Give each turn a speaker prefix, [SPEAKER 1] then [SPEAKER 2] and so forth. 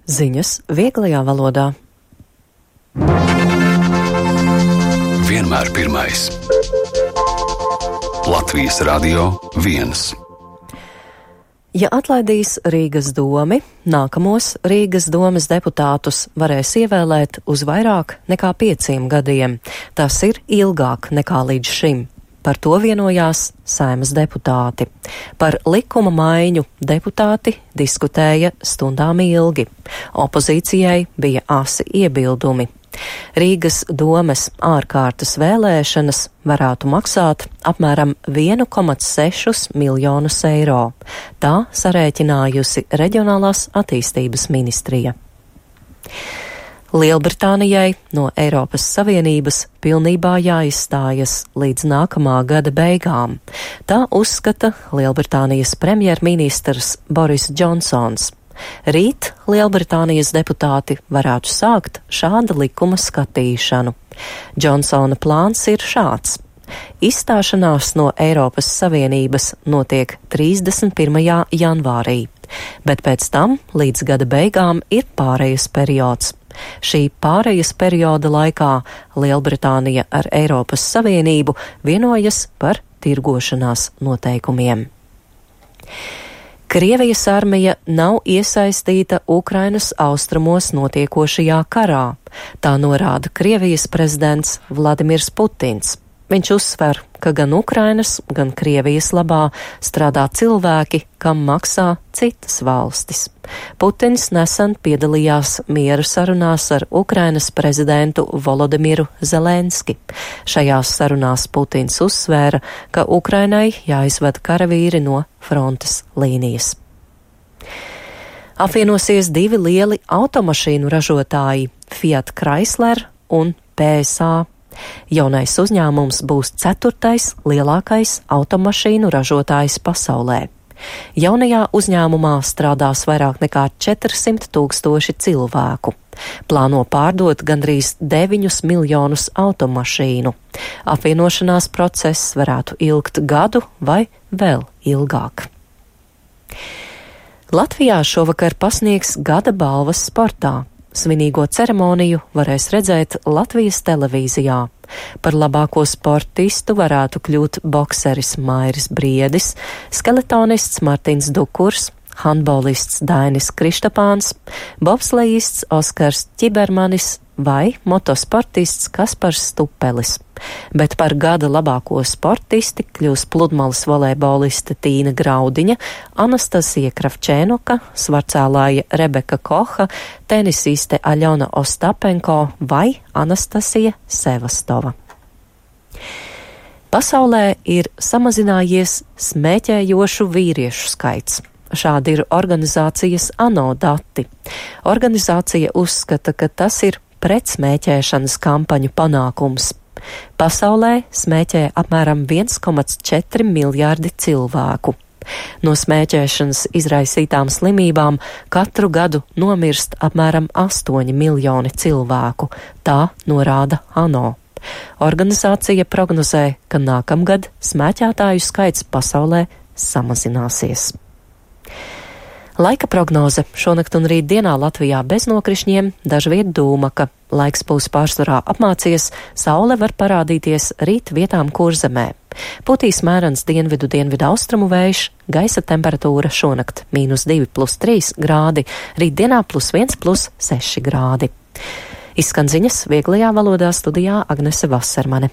[SPEAKER 1] Ziņas vieglajā valodā.
[SPEAKER 2] Vienmēr pirmais. Latvijas Radio 1.
[SPEAKER 1] Ja atlaidīs Rīgas domi, nākamos Rīgas domes deputātus varēs ievēlēt uz vairāk nekā 5 gadiem. Tas ir ilgāk nekā līdz šim. Par to vienojās Saeimas deputāti. Par likuma maiņu deputāti diskutēja stundām ilgi. Opozīcijai bija asi iebildumi. Rīgas domes ārkārtas vēlēšanas varētu maksāt apmēram 1,6 miljonus eiro. Tā sarēķinājusi Reģionālās attīstības ministrija. Lielbritānijai no Eiropas Savienības pilnībā jāizstājas līdz nākamā gada beigām. Tā uzskata Lielbritānijas premjerministrs Boris Džonsons. Rīt Lielbritānijas deputāti varētu sākt šāda likuma skatīšanu. Džonsona plāns ir šāds. Izstāšanās no Eiropas Savienības notiek 31. janvārī, bet pēc tam līdz gada beigām ir pārejas periods. Šī pārejas perioda laikā Lielbritānija ar Eiropas Savienību vienojas par tirgošanās noteikumiem. Krievijas armija nav iesaistīta Ukrainas austrumos notiekošajā karā, tā norāda Krievijas prezidents Vladimirs Putins. Viņš uzsver, ka gan Ukrainas, gan Krievijas labā strādā cilvēki, kam maksā citas valstis. Putins nesen piedalījās miera sarunās ar Ukrainas prezidentu Volodimiru Zelenski. Šajās sarunās Putins uzsvēra, ka Ukrainai jāizved karavīri no frontes līnijas. Apvienosies 2 lieli automašīnu ražotāji – Fiat Chrysler un PSA. Jaunais uzņēmums būs 4. lielākais automašīnu ražotājs pasaulē. Jaunajā uzņēmumā strādās vairāk nekā 400 000 cilvēku. Plāno pārdot gandrīz 9 miljonus automašīnu. Apvienošanās process varētu ilgt gadu vai vēl ilgāk. Latvijā šovakar pasniegs gada balvas sportā. Svinīgo ceremoniju varēs redzēt Latvijas televīzijā. Par labāko sportistu varētu kļūt bokseris Mairis Briedis, skeletonists Martins Dukurs, handbolists Dainis Krištapāns, bobslejists Oskars Ķibermanis vai motosportists Kaspars Stupelis. Bet par gada labāko sportisti kļūs pludmales volejboliste Tīna Graudiņa, Anastasija Kravčēnoka, svarcēlāja Rebeka Koha, tenisiste Aļona Ostapenko vai Anastasija Sevastova. Pasaulē ir samazinājies smēķējošu vīriešu skaits. Šādi ir organizācijas ANO dati. Organizācija uzskata, ka tas ir pretsmēķēšanas kampaņu panākums. Pasaulē smēķē apmēram 1,4 miljārdi cilvēku. No smēķēšanas izraisītām slimībām katru gadu nomirst apmēram 8 miljoni cilvēku, tā norāda ANO. Organizācija prognozē, ka nākamgad smēķētāju skaits pasaulē samazināsies. Laika prognoze šonakt un rītdienā Latvijā bez nokrišņiem, dažviet dūmaka. Laiks būs pārsvarā apmācies, saule var parādīties rīt vietām Kurzemē. Putīs mērens dienvidu austrumu vējš, gaisa temperatūra šonakt -2+3 grādi, rītdienā +1+6 grādi. Izskan ziņas vieglajā valodā, studijā Agnese Vasermane.